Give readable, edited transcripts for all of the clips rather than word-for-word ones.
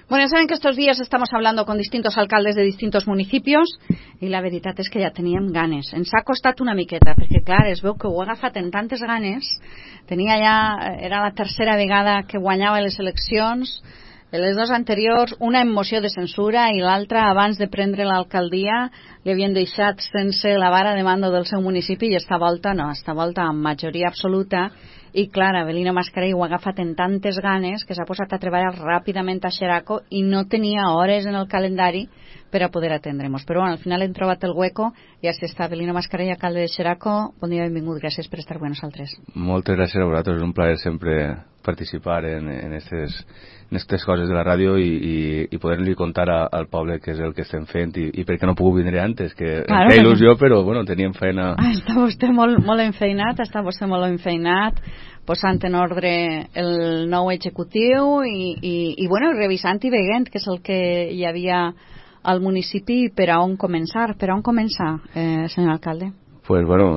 Bueno, saben que estos días estamos hablando con distintos alcaldes de distintos municipios i la veritat és que ja teníem ganes. Ens ha costat una miqueta, perquè clar, es veu que ho ha agafat en tantes ganes. Era la tercera vegada que guanyava les eleccions, les dues anteriors, una en moció de censura i l'altra, abans de prendre l'alcaldia, li havien deixat sense la vara de mando del seu municipi i esta volta no, esta volta amb majoria absoluta. I clar, Avelino Mascarell ho ha agafat en tantes ganes que s'ha posat a treballar ràpidament a Xeraco i no tenia hores en el calendari per a poder atendre'ns. Però bueno, al final hem trobat el hueco i així està. Avelino Mascarell, alcalde de Xeraco, bon dia, benvingut, gràcies per estar amb nosaltres. Moltes gràcies a vosaltres, és un plaer sempre participar en aquestes coses de la ràdio i poder-li contar al poble què és el que estem fent i per què no puc vindre antes, que claro, em feia il·lusió, però bueno, teníem feina. Està vostè molt enfeinat, posant en ordre el nou executiu i bueno, revisant i veient què és el que hi havia al municipi per a on començar, senyor alcalde. Pues bueno,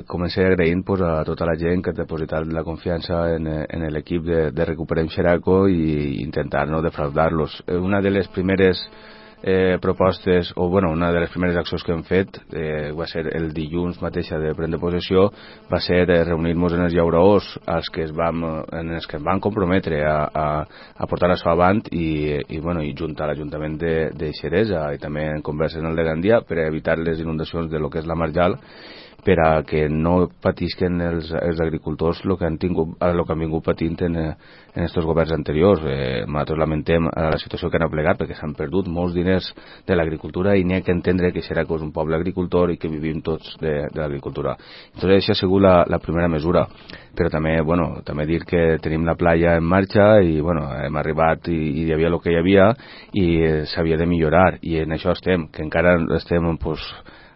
comencé agraint a tota la gent que ha depositat la confiança en l'equip de Recuperem Xeraco i intentar no defraudar-los. Una de les primeres propostes, o bueno, una de les primeres accions que hem fet va ser el dilluns mateixa de prendre possessió, va ser reunir-nos en els llauraors en els que ens van comprometre a portar això avant i juntar l'Ajuntament de Xeresa i també en converses en el de Gandia per evitar les inundacions de lo que és la Marjal, per a que no patisquen els agricultors el que han vingut patint en aquests governs anteriors. Nosaltres lamentem la situació que han aplegat perquè s'han perdut molts diners de l'agricultura i n'hi ha que entendre que Xeraco és un poble agricultor i que vivim tots de l'agricultura. Entonces, això ha sigut la primera mesura. Però també dir que tenim la playa en marxa i hem arribat i hi havia el que hi havia i s'havia de millorar i en això estem, que encara estem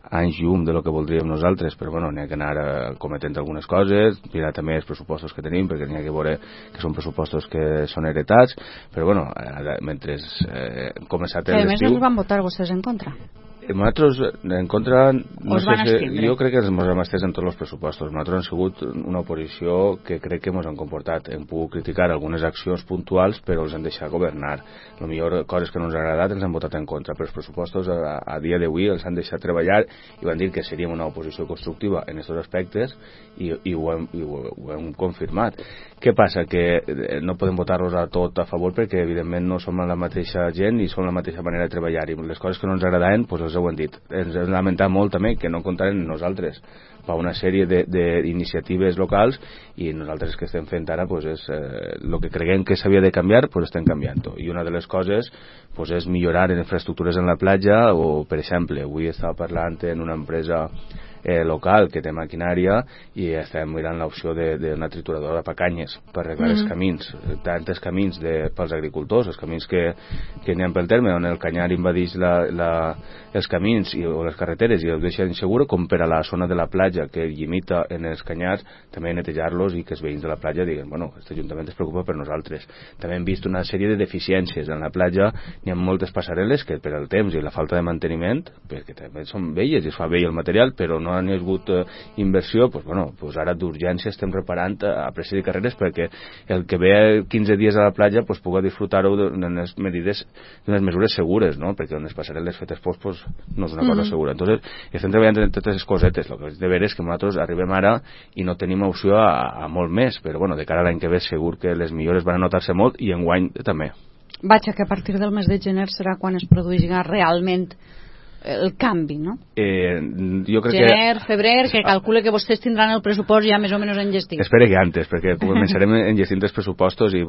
anys llum de lo que voldríem nosaltres, però n'hi ha que anar cometent algunes coses, mirar també els pressupostos que tenim, perquè n'hi ha que veure que són pressupostos que són heretats, però mentre hem començat l'estiu... Que a més els van votar vostès en contra. Nosaltres en contra jo crec que ens hem estès en tots els pressupostos. Nosaltres hem sigut una oposició que crec que ens han comportat. Hem pogut criticar algunes accions puntuals, però els han deixat governar. A millor coses que no ens ha agradat ens han votat en contra, però els pressupostos a dia d'avui els han deixat treballar i van dir que seríem una oposició constructiva en aquests aspectes i ho hem confirmat. Què passa? Que no podem votar-los a tot a favor perquè evidentment no som la mateixa gent i som la mateixa manera de treballar i les coses que no ens agradaven els ho hem dit. Ens hem lamentat molt també que no comptaren amb nosaltres per una sèrie d'iniciatives locals i nosaltres que estem fent ara és el que creguem que s'havia de canviar, estem canviant-ho. I una de les coses és millorar en infraestructures en la platja o, per exemple, avui estava parlant en una empresa local que té maquinària i estem mirant l'opció d'una trituradora de pacanyes per arreglar els camins, tantes camins pels agricultors, els camins que n'hi ha pel terme on el canyar invadeix els camins o les carreteres i els deixa insegura, com per a la zona de la platja que limita en els canyars, també netejar-los i que els veïns de la platja diguen, aquest Ajuntament es preocupa per nosaltres. També hem vist una sèrie de deficiències en la platja, n'hi ha moltes passarel·les que per al temps i la falta de manteniment, perquè també són velles i es fa vell el material, però no han hagut inversió, ara d'urgència estem reparant a pressa de carreres perquè el que ve 15 dies a la platja pugui disfrutar-ho d'unes mesures segures, no? Perquè unes passarel·les fetes no és una cosa segura. Entonces, estem treballant en totes les cosetes. El que és de veres és que nosaltres arribem ara i no tenim opció a molt més, però de cara a l'any que ve segur que les millores van a notar-se molt i enguany també. Vaja, que a partir del mes de gener serà quan es produirà realment el canvi, no? Jo crec Gener, febrer, que calcule que vostès tindran el pressupost ja més o menys enllestit. Espero que antes, perquè començarem enllestint els pressupostos i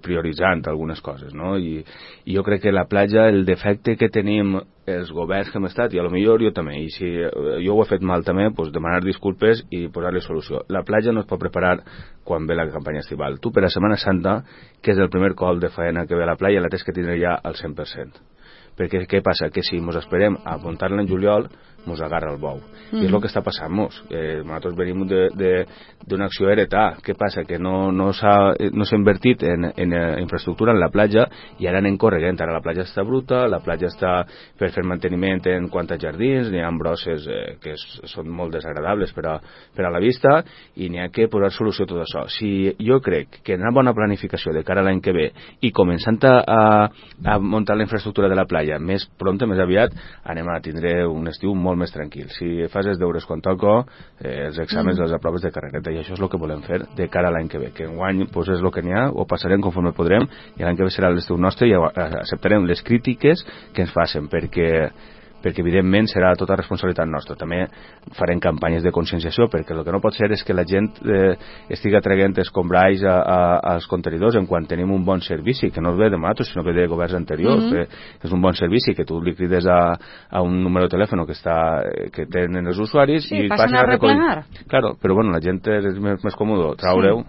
prioritzant algunes coses, no? I jo crec que la platja, el defecte que tenim els governs que hem estat, i a lo millor jo també, i si jo ho he fet mal també, demanar disculpes i posar-li solució. La platja no es pot preparar quan ve la campanya estival. Tu per a Setmana Santa, que és el primer col de faena que ve a la platja, la tens que tindre ja al 100%. Perquè què passa? Que si ens esperem a muntar-la en juliol, mos agarra el bou. I és el que està passant-nos. Nosaltres venim d'una acció heretà. Què passa? Que no s'ha invertit en infraestructura en la platja i ara anem corregent. Ara la platja està bruta, la platja està per fer manteniment en quant a jardins, n'hi ha brosses que són molt desagradables per a la vista i n'hi ha que posar solució a tot això. Si jo crec que una bona planificació de cara a l'any que ve i començant a muntar la infraestructura de la platja més pront, més aviat, anem a tindre un estiu molt més tranquil. Si fas els deures quan toco, els exàmens les aproves de carrereta, i això és el que volem fer de cara a l'any que ve, que enguany pues, és el que n'hi ha, ho passarem conforme podrem, i l'any que ve serà l'estiu nostre i acceptarem les crítiques que ens facin, perquè evidentment serà tota responsabilitat nostra. També farem campanyes de conscienciació, perquè el que no pot ser és que la gent estiga traient escombraix als contenidors en quan tenim un bon servici, que no ve de nosaltres, sinó que ve de governs anteriors. És un bon servici, que tu li crides a un número de telèfon que tenen els usuaris i passen a recollir. Claro, però bueno, la gent és més còmode traure-ho.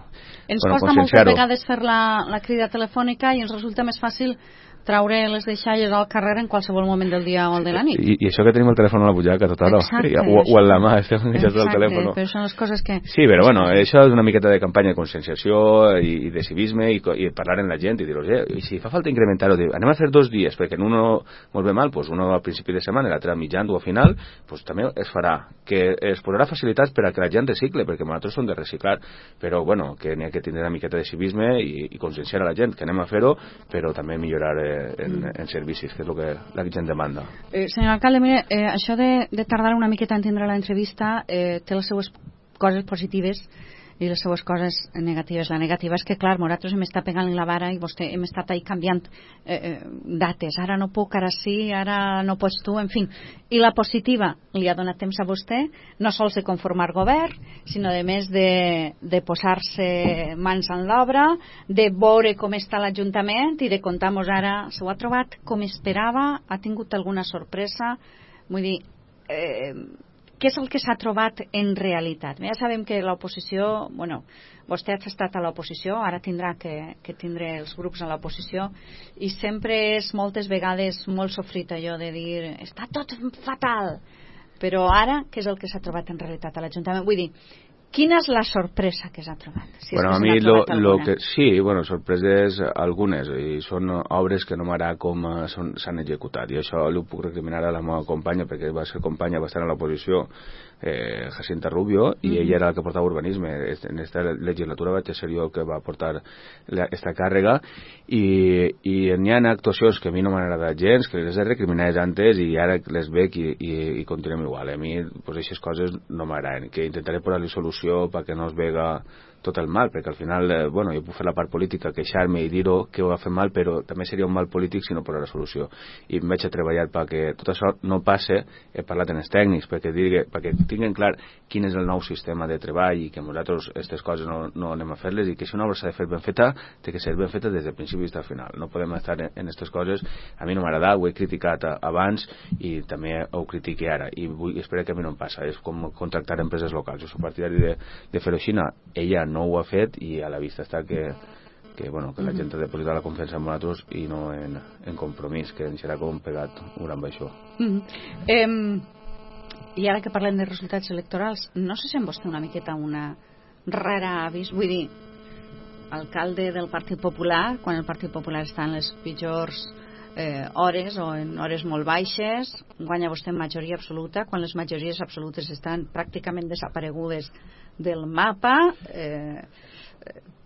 Ens costa moltes vegades fer la crida telefònica i ens resulta més fàcil traure les deixalles al carrer en qualsevol moment del dia o de la nit. I això que tenim el telèfon a la butxaca tota hora, o en la mà, estem enganxats al telèfon. Però són les coses que... Sí, però bueno, això és una miqueta de campanya de conscienciació i de civisme i parlar amb la gent i dir-los, si fa falta incrementar-ho, anem a fer 2 dies, perquè en uno molt bé mal, pues uno al principi de setmana i l'altre mitjan o a final, pues també es farà, que es posarà facilitats per a que la gent recicle, perquè nosaltres som de reciclar, però bueno, que n'hi ha que tindre una miqueta de civisme i conscienciar a la gent, que anem a fer-ho, però també millorar en servicis, que és el que la gent demanda. Senyor alcalde, mire, això de tardar una miqueta a entendre l'entrevista té les seues coses positives i les seues coses negatives. La negativa és que, clar, nosaltres hem estat pegant la vara i vostè hem estat ahí canviant dates. Ara no puc, ara sí, ara no pots tu, en fi. I la positiva li ha donat temps a vostè, no sols de conformar govern, sinó de més de posar-se mans en l'obra, de veure com està l'Ajuntament i de contar-nos ara, s'ho ha trobat com esperava, ha tingut alguna sorpresa, vull dir... què és el que s'ha trobat en realitat? Ja sabem que l'oposició, bueno, vostè ha estat a l'oposició, ara tindrà que tindre els grups a l'oposició, i sempre és moltes vegades molt sofrit allò de dir, està tot fatal, però ara, què és el que s'ha trobat en realitat a l'Ajuntament? Vull dir, quina és la sorpresa que s'ha trobat? Si bueno, a mi lo que sí, bueno, sorpreses algunes, i són obres que no m'agrada com s'han executat, i això ho puc recriminar a la meva companya, perquè va ser companya bastant a l'oposició, Jacinta Rubio, i ella era la que portava urbanisme. En aquesta legislatura vaig ser jo el que va portar aquesta càrrega, i n'hi ha actuacions que a mi no m'han agradat gens, que les he recriminades antes i ara les veig i continuem igual. A mi pues, aquestes coses no m'agraden, que intentaré posar-li solució perquè no es vega tot el mal, perquè al final, bueno, jo puc fer la part política, queixar-me i dir-ho que ho ha fet mal, però també seria un mal polític si no posar la solució. I em vaig a treballar perquè tot això no passe. He parlat amb els tècnics perquè tinguin clar quin és el nou sistema de treball i que nosaltres aquestes coses no anem a fer-les, i que si una obra s'ha de fer ben feta, té que ser ben feta des del principi fins al final. No podem estar en aquestes coses. A mi no m'agrada, ho he criticat abans i també ho critiqui ara, i espero que a mi no em passa. És com contractar empreses locals. Jo soc partidari de fer-ho així. Ella no ho ha fet i a la vista està que la gent ha de posar la confiança en nosaltres i no en compromís, que ens serà com pegat un amb això. I ara que parlem de resultats electorals, no se sent vostè una miqueta una rara avís? Vull dir, alcalde del Partit Popular, quan el Partit Popular està en les pitjors hores o en hores molt baixes, guanya vostè en majoria absoluta, quan les majories absolutes estan pràcticament desaparegudes del mapa.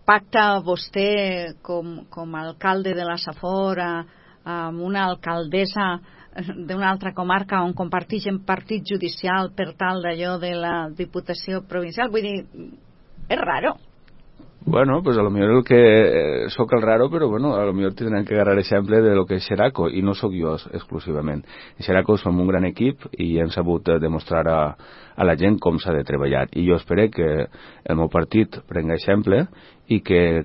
Pacta vostè com a alcalde de la Safor amb una alcaldessa d'una altra comarca on comparteixen partit judicial per tal d'allò de la Diputació Provincial. Vull dir, és raro. Bueno, pues a lo mejor el que soc el raro, però bueno, a lo mejor tindran que agarrar exemple de lo que és Xeraco, i no sóc jo exclusivament. En Xeraco som un gran equip i hem sabut demostrar a a la gent com s'ha de treballar. I jo espero que el meu partit prenga exemple i que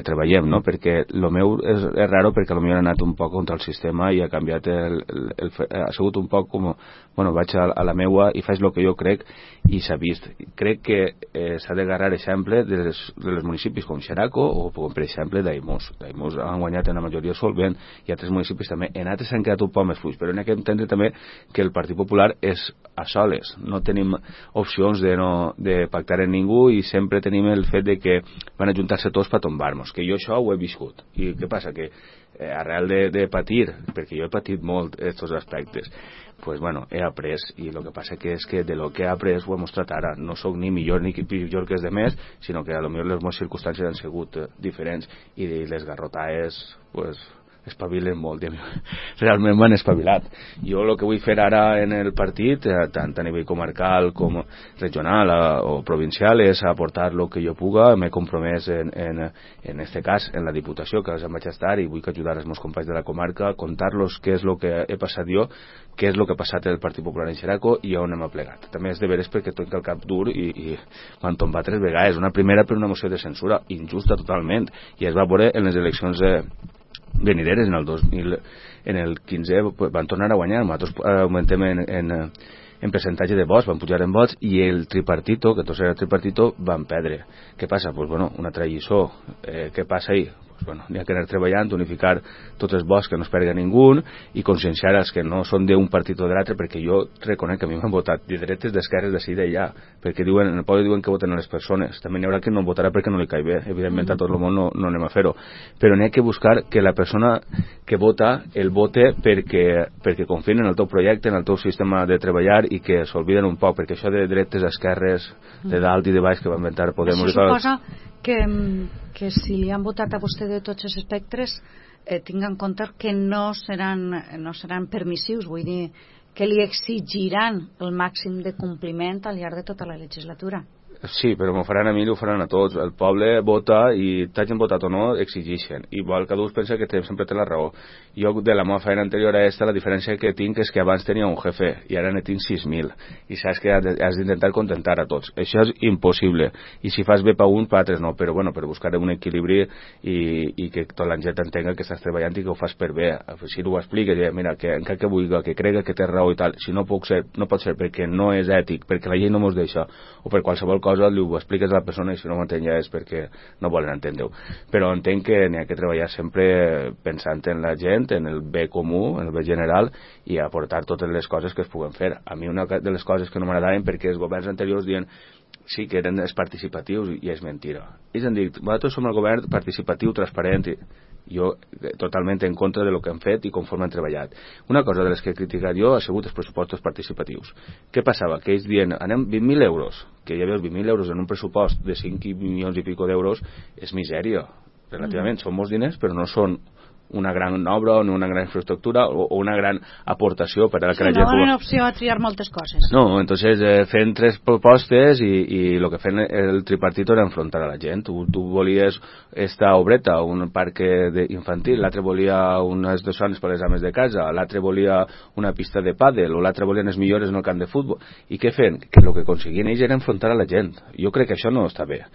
treballem, no? Perquè el meu és raro perquè potser ha anat un poc contra el sistema i ha canviat ha sigut un poc com, bueno, vaig a la meua i faig el que jo crec i s'ha vist. Crec que s'ha de agarrar exemple dels municipis com Xeraco o com per exemple Daimús. Daimús han guanyat en la majoria solvent i altres municipis també. En altres s'han quedat un poc més fluix, però n'hi ha que entendre també que el Partit Popular és a soles. No tenim opcions de pactar amb ningú i sempre tenim el fet de que van ajuntar-se tots per tombar-nos, que jo això ho he viscut. I què passa? Que arrel de patir, perquè jo he patit molt aquests aspectes, pues bueno, he après, i el que passa que és que de lo que he après ho he mostrat ara. No sóc ni millor ni pitjor que els demés, sinó que a lo millor les meves circumstàncies han sigut diferents i les garrotades, pues, espavilen molt. Realment m'han espavilat. Jo el que vull fer ara en el partit, tant a nivell comarcal com regional o provincial, és aportar el que jo puga. M'he compromès en este cas en la Diputació, que em vaig estar, i vull ajudar els meus companys de la comarca, contar-los què és el que he passat jo, què és el que ha passat el Partit Popular en Xeraco i on hem plegat. També és de veres perquè tinc el cap dur i m'han tombat 3 vegades. Una primera per una moció de censura injusta totalment, i es va veure en les eleccions venideres en el 15 van tornar a guanyar. Nosaltres augmentem en percentatge de vots, van pujar en vots, i el tripartito, que tots era tripartito, van perdre. Què passa? Pues bueno, una altra lliçó. Què passa ahí? Bueno, n'hi ha que anar treballant, unificar tots els vots, que no es perga ningú, i conscienciar els que no són d'un partit o de l'altre, perquè jo reconec que a mi m'han votat de dretes, d'esquerres, d'ací i d'allà, perquè en el poble diuen que voten a les persones. També n'hi haurà que no votarà perquè no li caig bé. Evidentment a tot el món no anem a fer-ho, però n'hi ha que buscar que la persona que vota el vote perquè confien en el teu projecte, en el teu sistema de treballar, i que s'olviden un poc, perquè això de dretes, esquerres, de dalt i de baix que va inventar Podemos... Això suposa que si li han votat a vostè de tots els espectres, tinga en compte que no seran permissius, vull dir que li exigiran el màxim de compliment al llarg de tota la legislatura. Sí, però m'ho faran a mi i ho faran a tots. El poble vota i t'hagin votat o no, exigeixen. Igual cada un pensa que sempre té la raó. Jo, de la meva feina anterior a aquesta, la diferència que tinc és que abans tenia un jefe i ara ne tinc 6.000. I saps que has d'intentar contentar a tots. Això és impossible. I si fas bé per un, per altres no. Però bueno, per buscar un equilibri i que tota la gent entenga que estàs treballant i que ho fas per bé. Si ho expliques, mira, que encara que vulgui, que crega que té raó i tal, si no pot ser perquè no és ètic, perquè la llei no mos deixa, o per qualsevol cosa, li ho expliques a la persona, i si no m'entén ja és perquè no volen entendre-ho. Però entenc que n'hi ha que treballar sempre pensant en la gent, en el bé comú, en el bé general, i aportar totes les coses que es puguen fer. A mi una de les coses que no m'agradaven, perquè els governs anteriors diuen sí que eren els participatius, i és mentira. Ells han dit, nosaltres som el govern participatiu, transparent, i jo totalment en contra de lo que han fet i conforme han treballat. Una cosa de les que he criticat jo ha sigut els pressupostos participatius. Què passava? Que ells diuen, anem 20.000 euros, que ja veus, 20.000 euros en un pressupost de 5 milions i pico d'euros és misèria, relativament. Són molts diners, però no són una gran obra o una gran infraestructura o una gran aportació per a que la gent... No hi opció a triar moltes coses. No, entonces fent 3 propostes i el que fent el tripartito era enfrontar a la gent. Tu volies esta obreta, un parc infantil, l'altre volia unes zones per les ames de casa, l'altre volia una pista de pàdel, o l'altre volien els millors en el camp de futbol. I què fent? Que el que aconseguien ells era enfrontar a la gent. Jo crec que això no està bé.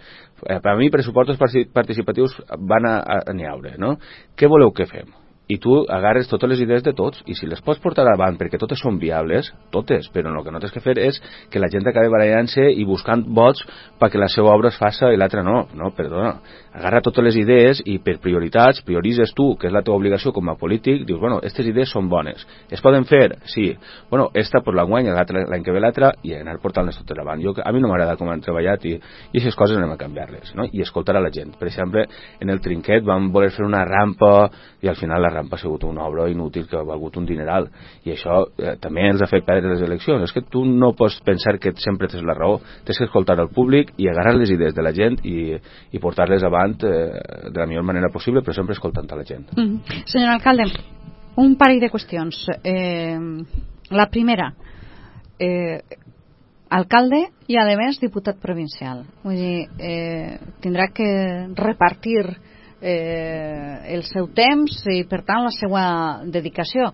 Per a mi pressupostos participatius van a n'hi haure, no? Què voleu que fem? I tu agarres totes les idees de tots, i si les pots portar avant perquè totes són viables, totes, però el que no tens que fer és que la gent acabi barallant-se i buscant vots perquè la seva obra es faça i l'altra no. No, perdona, agarra totes les idees i per prioritats prioritzes tu, que és la teva obligació com a polític, dius, bueno, aquestes idees són bones, es poden fer? Sí. Bueno, esta pues l'enguany, l'any que ve l'altra, i anar portant-les totes avant. A mi no m'agrada com han treballat i aquestes coses anem a canviar-les, no? I escoltar a la gent. Per exemple, en el Trinquet vam voler fer una rampa i al final la rampa ha sigut una obra inútil que ha valgut un dineral, i això també els ha fet perdre les eleccions. És que tu no pots pensar que sempre tens la raó, tens que escoltar al públic i agarrar les idees de la gent i portar-les avant de la millor manera possible, però sempre escoltant a la gent. Senyor alcalde, un parell de qüestions. La primera, alcalde i a més diputat provincial, vull dir, tindrà que repartir el seu temps i per tant la seva dedicació.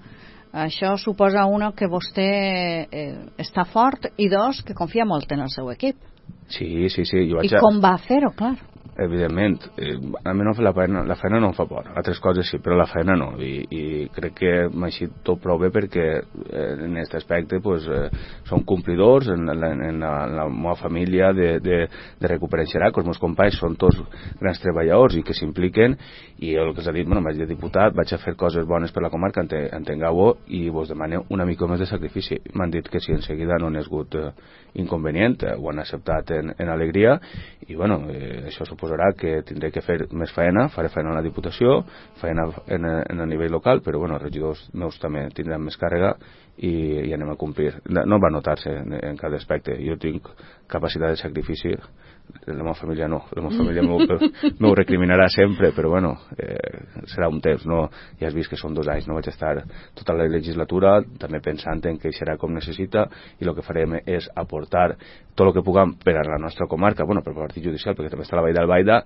això suposa, una, que vostè està fort, i dos, que confia molt en el seu equip. Sí. I com va fer-ho, clar? Evidentment, a mi no la feina no em fa por, altres coses sí, però la feina no, i crec que m'ha eixit tot prou bé perquè en aquest aspecte pues, som complidors en la meva família de recuperar Xeraco. Els meus companys són tots grans treballadors i que s'impliquen, i el que s'ha dit, vaig de diputat, vaig a fer coses bones per la comarca, entengueu-ho, i vos demaneu una mica més de sacrifici. M'han dit que sí, en seguida no n'hi ha hagut inconvenient, ho han acceptat en alegria, i això suposarà que tindré que fer més feina, faré feina a la Diputació, feina en el nivell local, però els regidors meus també tindran més càrrega i anem a complir. No va notar-se en cada aspecte. Jo tinc capacitat de sacrifici, la meva família no, la meva família m'ho recriminarà sempre, però serà un temps, no? Ja has vist que són 2 anys, no vaig estar tota la legislatura també pensant en què serà com necessita, i el que farem és aportar tot el que puguem per a la nostra comarca, per el partit judicial, perquè també està la Vall d'Albaida,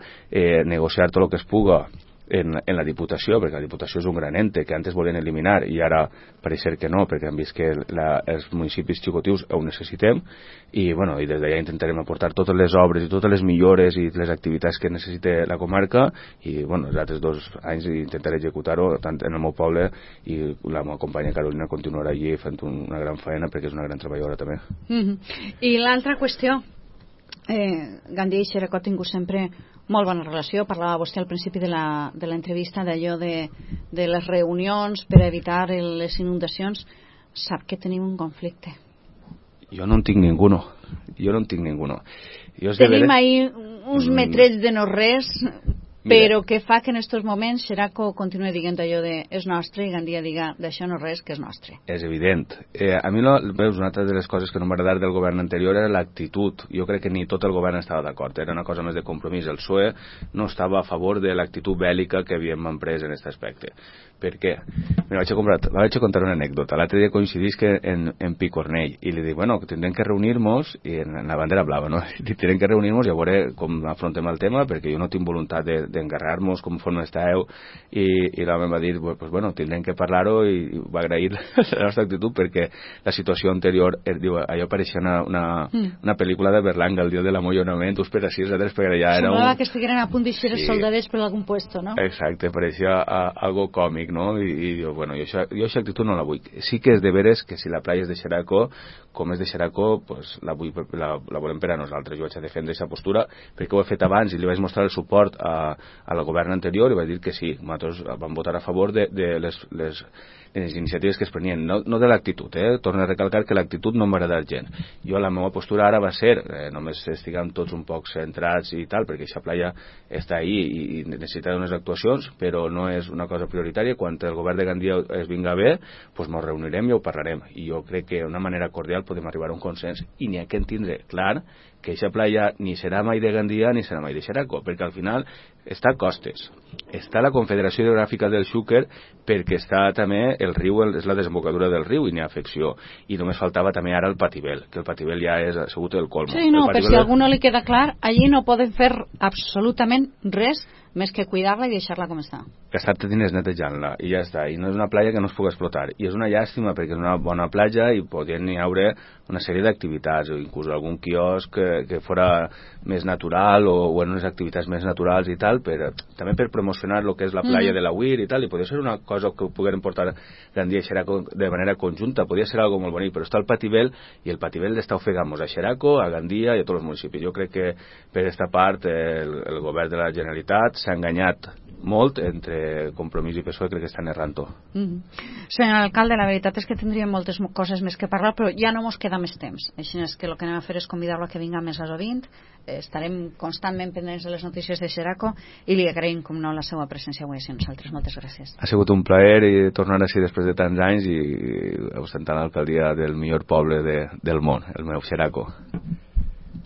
negociar tot el que es puga en la Diputació, perquè la Diputació és un gran ente que antes volien eliminar i ara pareix ser que no, perquè han vist que els municipis xicotius ho necessitem, i des d'allà intentarem aportar totes les obres i totes les millores i les activitats que necessita la comarca, i els altres 2 anys intentaré executar-ho tant en el meu poble, i la meva companya Carolina continuarà allí fent una gran feina perquè és una gran treballadora també. I l'altra qüestió, Gandia i Xeraco ha tingut sempre molt bona relació. Parlava vostè al principi de l'entrevista d'allò de les reunions per evitar les inundacions. Sap que tenim un conflicte. Jo no en tinc ninguno. Tenim ahir uns metrells de no res, però que fa que en aquests moments Xeraco continua dient allò de és nostre, i Gandia diga d'això no res, que és nostre. És evident. A mi, veus, una altra de les coses que no m'agradava del govern anterior era l'actitud. Jo crec que ni tot el govern estava d'acord, era una cosa més de compromís. El PSOE no estava a favor de l'actitud bèl·lica que havíem emprès en aquest aspecte. Per què? Mira, vaig a contar una anècdota. L'altre dia coincidís que en Picornell, i li dic, que tindrem que reunir-nos, i en la bandera blava, no? Tindrem que reunir-nos i a veure com afrontem el tema, perquè jo no tinc voluntat d'engarrar-nos conforme estàveu, i l'home va dir, tindrem que parlar-ho, i va agrair la nostra actitud, perquè la situació anterior, diu, allò pareixia una pel·lícula de Berlanga, el dia de l'amollonament, tu esperes 6 hores, perquè ja era semblava que estigueren a punt d'eixir els soldadets per algun puesto, no? Exacte, pareixia algo còmic, no? I jo aquesta actitud no la vull. Sí que és de veres que si la playa és de Xeraco, com és de Xeraco, la volem per a nosaltres. Jo vaig a defendre aquesta postura perquè ho he fet abans i li vaig mostrar el suport al govern anterior, i vaig dir que sí, nosaltres vam votar a favor de les iniciatives que es prenien, no de l'actitud, torno a recalcar que l'actitud no m'agrada gens. Jo la meva postura ara va ser només estiguem tots un poc centrats i tal, perquè aquesta playa està ahí i necessita unes actuacions, però no és una cosa prioritària. Quan el govern de Gandia es vinga bé, doncs ens reunirem i ho parlarem, i jo crec que d'una manera cordial podem arribar a un consens, i n'hi ha que entendre clar que aquesta playa ni serà mai de Gandia ni serà mai de Xeraco, perquè al final està a Costes, està la Confederació Hidrogràfica del Xúquer, perquè està també el riu, és la desembocadura del riu i n'hi ha afecció, i només faltava també ara el Patibel, que el Patibel ja ha sigut el colmo. Sí, no, per si a algú no li queda clar, allí no poden fer absolutament res més que cuidar-la i deixar-la com està. Gastar-te diners netejant-la i ja està, i no és una platja que no es pugui explotar, i és una llàstima perquè és una bona platja i podien haure una sèrie d'activitats, o inclús algun quiosc que fora més natural, o unes activitats més naturals i tal, també per promocionar el que és la platja de la Uir i tal, i podria ser una cosa que pogueren portar Gandia i Xeraco de manera conjunta, podria ser algo molt bonic, però està el Patibel, i el Patibel està ofegant-nos a Xeraco, a Gandia i a tots els municipis. Jo crec que per aquesta part el govern de la Generalitat s'ha enganyat molt entre Compromís i PSOE, crec que estan errant-ho. Senyor alcalde, la veritat és que tindríem moltes coses més que parlar, però ja no ens queda més temps, així és que el que anem a fer és convidar-lo a que vinga més a sovint. Estarem constantment pendents de les notícies de Xeraco i li agraïm, com no, la seva presència avui a nosaltres. Moltes gràcies. Ha sigut un plaer i tornar així després de tants anys i ostentant l'alcaldia del millor poble del món, el meu Xeraco.